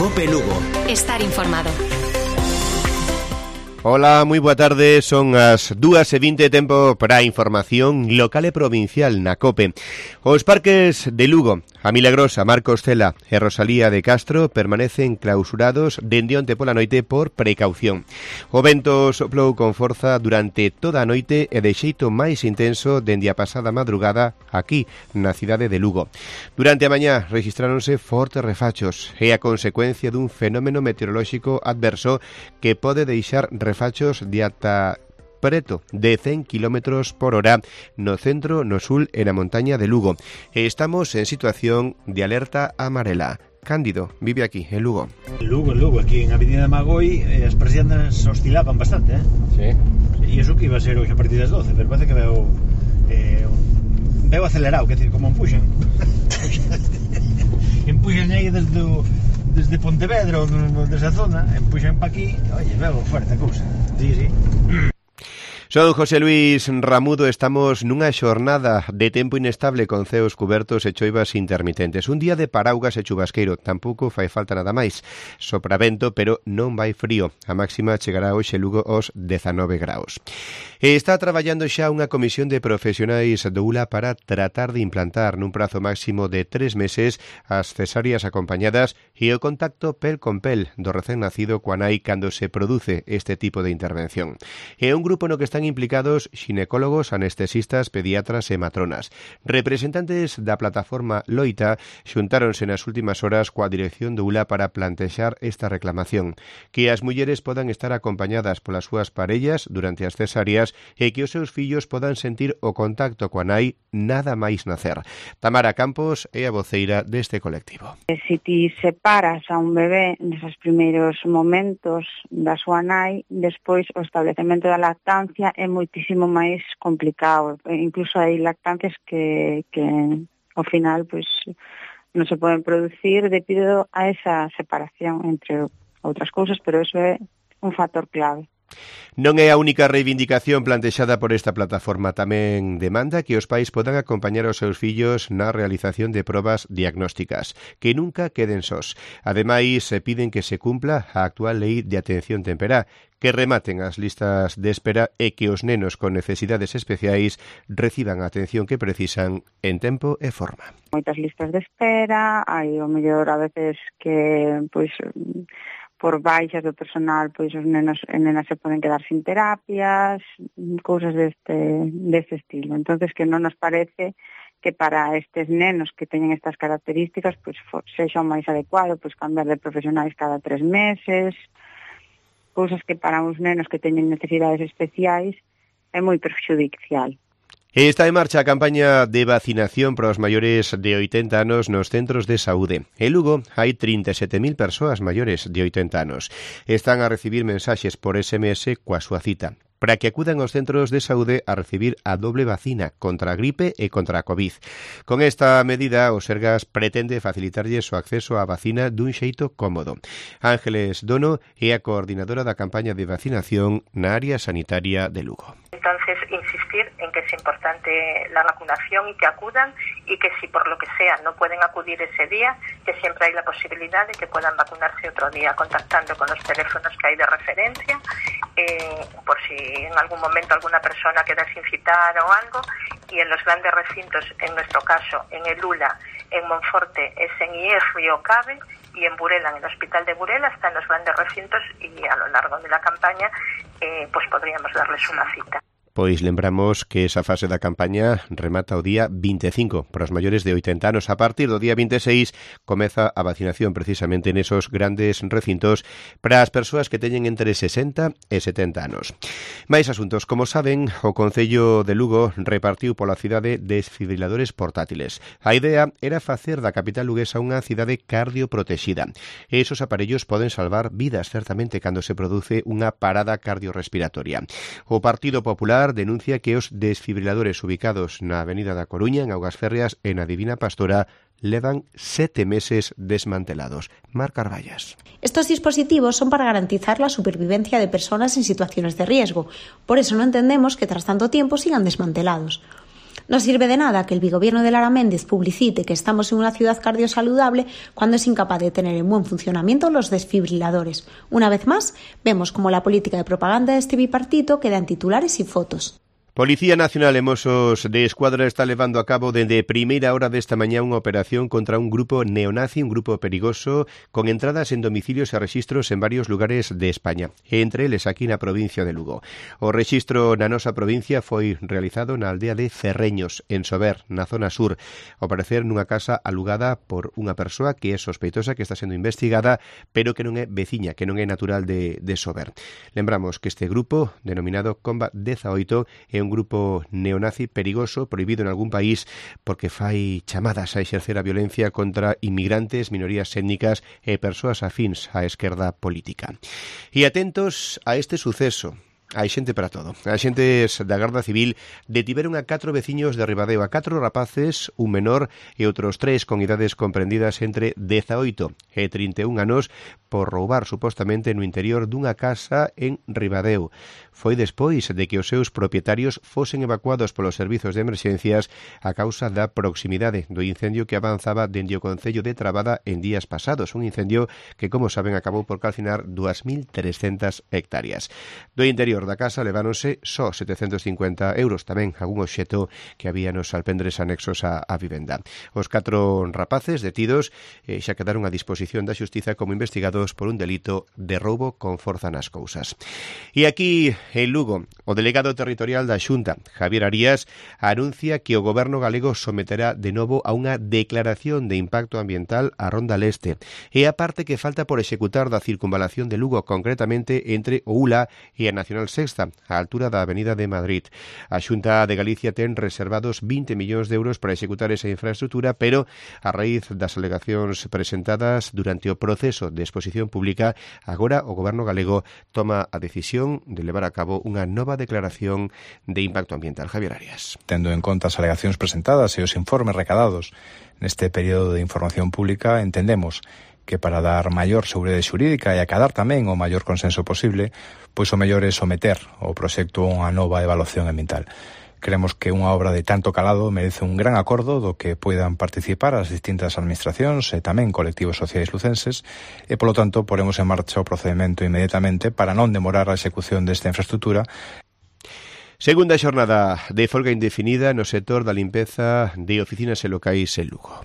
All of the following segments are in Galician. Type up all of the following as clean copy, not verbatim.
COPE Lugo. Estar informado. Hola, moi boa tarde, son as 2:20, tempo para a información local e provincial na COPE. Os parques de Lugo, a Milagrosa, Marcos Cela e Rosalía de Castro permanecen clausurados dende onte pola noite por precaución. O vento soplou con forza durante toda a noite e de xeito máis intenso dende a pasada madrugada aquí na cidade de Lugo. Durante a mañá rexistráronse fortes refachos e a consecuencia dun fenómeno meteorolóxico adverso que pode deixar refachos de ata preto de 100 km por hora no centro, no sul e na montaña de Lugo. Estamos en situación de alerta amarela. Cándido vive aquí, en Lugo. Lugo, aquí en Avenida Magoi as persianas oscilaban bastante, Sí. E iso que iba a ser hoxe a partir das 12, pero parece que veo acelerado, que decir, como empuxan aí desde Pontevedra ou desde a zona, empuxan para aquí, oye, veo fuerte a cousa. Sí. Son José Luis Ramudo, estamos nunha xornada de tempo inestable con ceos cubertos e choivas intermitentes. Un día de paraugas e chubasqueiro, tampouco fai falta nada máis. Sopra vento, pero non vai frío. A máxima chegará hoxe Lugo aos 19 graus. E está traballando xa unha comisión de profesionais do ULA para tratar de implantar nun prazo máximo de 3 meses as cesáreas acompañadas e o contacto pel con pel do recén nacido coa nai cando se produce este tipo de intervención. E un grupo no que están implicados xinecólogos, anestesistas, pediatras e matronas. Representantes da plataforma Loita xuntáronse nas últimas horas coa dirección do ULA para plantexar esta reclamación, que as mulleres podan estar acompañadas polas súas parellas durante as cesáreas e que os seus fillos podan sentir o contacto coa nai nada máis nacer. Tamara Campos é a voceira deste colectivo. Se ti separas a un bebé neses primeiros momentos da súa nai, despois o establecemento da lactancia é moitísimo máis complicado. Incluso hai lactancias que ao final pois non se poden producir debido a esa separación, entre outras cousas, pero eso é un factor clave. Non é a única reivindicación plantexada por esta plataforma. Tamén demanda que os pais podan acompañar os seus fillos na realización de probas diagnósticas, que nunca queden sós. Ademais, se piden que se cumpla a actual lei de atención temperá, que rematen as listas de espera e que os nenos con necesidades especiais reciban a atención que precisan en tempo e forma. Moitas listas de espera, hai o mellor a veces que pois por baixas do personal, pois os nenos e nenas se poden quedar sin terapias, cousas deste estilo. Entonces que non nos parece que para estes nenos que teñen estas características, pois sexa o máis adecuado, pois cambiar de profesionais cada 3 meses, cousas que para uns nenos que teñen necesidades especiais é moi perxudicial. Está en marcha a campaña de vacinación para os maiores de 80 anos nos centros de saúde. En Lugo hai 37.000 persoas maiores de 80 anos. Están a recibir mensaxes por SMS coa súa cita, para que acudan aos centros de saúde a recibir a doble vacina contra a gripe e contra a COVID. Con esta medida, o Sergas pretende facilitarlles o acceso á vacina dun xeito cómodo. Ángeles Dono é a coordinadora da campaña de vacinación na área sanitaria de Lugo. Entonces, insistir en que es importante la vacunación y que acudan, y que si por lo que sea no pueden acudir ese día, que siempre hay la posibilidad de que puedan vacunarse otro día, contactando con los teléfonos que hay de referencia, por si en algún momento alguna persona queda sin citar o algo. Y en los grandes recintos, en nuestro caso, en el ULA, en Monforte, SNIE, Río Cabe, y en Burela, en el Hospital de Burela, están los grandes recintos, y a lo largo de la campaña pues podríamos darles una cita. Pois lembramos que esa fase da campaña remata o día 25 para os maiores de 80 anos. A partir do día 26 comeza a vacinación precisamente nesos grandes recintos para as persoas que teñen entre 60 e 70 anos. Mais asuntos, como saben, o Concello de Lugo repartiu pola cidade desfibriladores portátiles. A idea era facer da capital luguesa unha cidade cardioprotexida. Esos aparellos poden salvar vidas, certamente, cando se produce unha parada cardiorrespiratoria. O Partido Popular denuncia que os desfibriladores ubicados na Avenida da Coruña, en Augas Férreas e na Divina Pastora levan 7 meses desmantelados. Mar Carballas. Estos dispositivos son para garantizar la supervivencia de personas en situaciones de riesgo. Por eso no entendemos que tras tanto tiempo sigan desmantelados. No sirve de nada que el bigobierno de Lara Méndez publicite que estamos en una ciudad cardiosaludable cuando es incapaz de tener en buen funcionamiento los desfibriladores. Una vez más, vemos como la política de propaganda de este bipartito queda en titulares y fotos. Policía Nacional e Mossos de Escuadra está levando a cabo dende primeira hora desta mañá unha operación contra un grupo neonazi, un grupo perigoso, con entradas en domicilios e rexistros en varios lugares de España, entre eles aquí na provincia de Lugo. O rexistro na nosa provincia foi realizado na aldea de Cerreños, en Sober, na zona sur, ao parecer nunha casa alugada por unha persoa que é sospeitosa, que está sendo investigada, pero que non é veciña, que non é natural de Sober. Lembramos que este grupo, denominado Combat 18, é un grupo neonazi perigoso, prohibido en algún país porque fai chamadas a exercer a violencia contra inmigrantes, minorías étnicas e persoas afíns á esquerda política. E atentos a este suceso. Hai xente para todo. Axentes da Garda Civil detiveron a 4 veciños de Ribadeo, a 4 rapaces, un menor e outros 3 con idades comprendidas entre 18 e 31 anos por roubar supostamente no interior dunha casa en Ribadeo. Foi despois de que os seus propietarios fosen evacuados polos servizos de emerxencias a causa da proximidade do incendio que avanzaba dende o concello de Trabada en días pasados. Un incendio que, como saben, acabou por calcinar 2.300 hectáreas. Do interior da casa leváronse só 750 euros, tamén algún obxeto que había nos alpendres anexos á vivenda. Os 4 rapaces detidos xa quedaron a disposición da xustiza como investigados por un delito de roubo con forza nas cousas. E aquí, en Lugo, o delegado territorial da Xunta, Javier Arías, anuncia que o goberno galego someterá de novo a unha declaración de impacto ambiental a Ronda Leste. E a parte que falta por executar da circunvalación de Lugo, concretamente entre o ULA e a Nacional Sexta, á altura da Avenida de Madrid. A Xunta de Galicia ten reservados 20 millóns de euros para executar esa infraestructura, pero a raíz das alegacións presentadas durante o proceso de exposición pública, agora o goberno galego toma a decisión de levar a cabo unha nova declaración de impacto ambiental. Javier Arias. Tendo en conta as alegacións presentadas e os informes recadados neste período de información pública, entendemos que para dar maior seguridade xurídica e acadar tamén o maior consenso posible, pois o mellor é someter o proxecto a unha nova evaluación ambiental. Creemos que unha obra de tanto calado merece un gran acordo do que poidan participar as distintas administracións e tamén colectivos sociais lucenses e, polo tanto, poremos en marcha o procedimento inmediatamente para non demorar a execución desta infraestructura. Segunda xornada de folga indefinida no sector da limpeza de oficinas e locais en Lugo.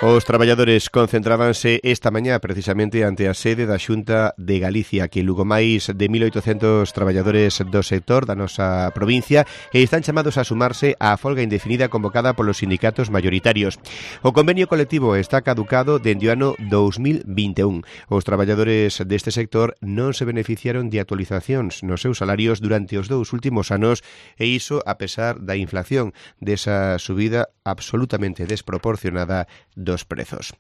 Os traballadores concentrábanse esta mañá precisamente ante a sede da Xunta de Galicia, que Lugo máis de 1.800 traballadores do sector da nosa provincia e están chamados a sumarse á folga indefinida convocada polos sindicatos mayoritarios. O convenio colectivo está caducado dende o ano 2021. Os traballadores deste sector non se beneficiaron de actualizacións nos seus salarios durante os 2 últimos anos e iso a pesar da inflación, desa subida absolutamente desproporcionada dos prezos.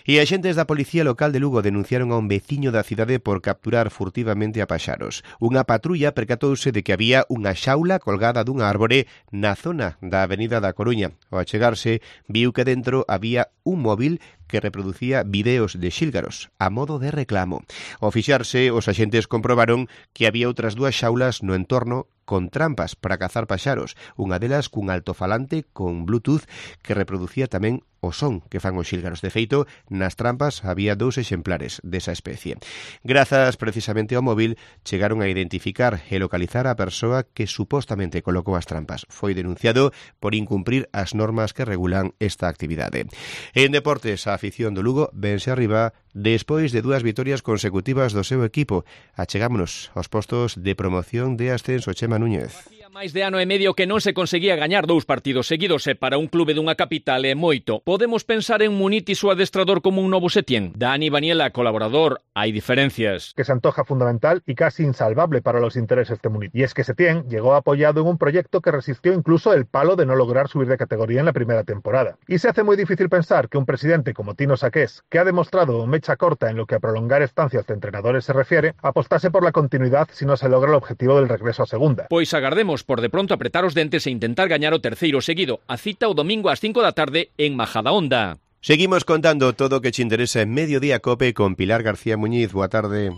E axentes da Policía Local de Lugo denunciaron a un veciño da cidade por capturar furtivamente a paxaros. Unha patrulla percatouse de que había unha xaula colgada dunha árbore na zona da Avenida da Coruña. Ao achegarse, viu que dentro había un móvil que reproducía videos de xílgaros a modo de reclamo. Ao fixarse, os axentes comprobaron que había outras 2 xaulas no entorno con trampas para cazar paxaros, unha delas cun altofalante con Bluetooth que reproducía tamén o son que fan os xílgaros. De feito, nas trampas había 2 exemplares desa especie. Grazas precisamente ao móvil, chegaron a identificar e localizar a persoa que supostamente colocou as trampas. Foi denunciado por incumprir as normas que regulan esta actividade. En deportes, a afición do Lugo vense arriba despois de 2 vitorias consecutivas do seu equipo. Achegámonos aos postos de promoción de ascenso. Chema Núñez. Máis de ano e medio que non se conseguía gañar 2 partidos seguidos e para un clube dunha capital é moito. Podemos pensar en Munitis o adestrador como un novo Setién. Dani Baniela, colaborador, hai diferencias. Que se antoja fundamental y casi insalvable para los intereses de Munitis. Y es que Setién llegó apoyado en un proyecto que resistió incluso el palo de no lograr subir de categoría en la primera temporada. Y se hace muy difícil pensar que un presidente como Tino Saqués, que ha demostrado mecha corta en lo que a prolongar estancias de entrenadores se refiere, apostase por la continuidad si no se logra el objetivo del regreso a segunda. Pois agardemos por de pronto apretar os dentes e intentar gañar o terceiro seguido. A cita o domingo ás 5 da tarde en Majadahonda. Seguimos contando todo o que te interesa en Mediodía Cope con Pilar García Muñiz. Boa tarde.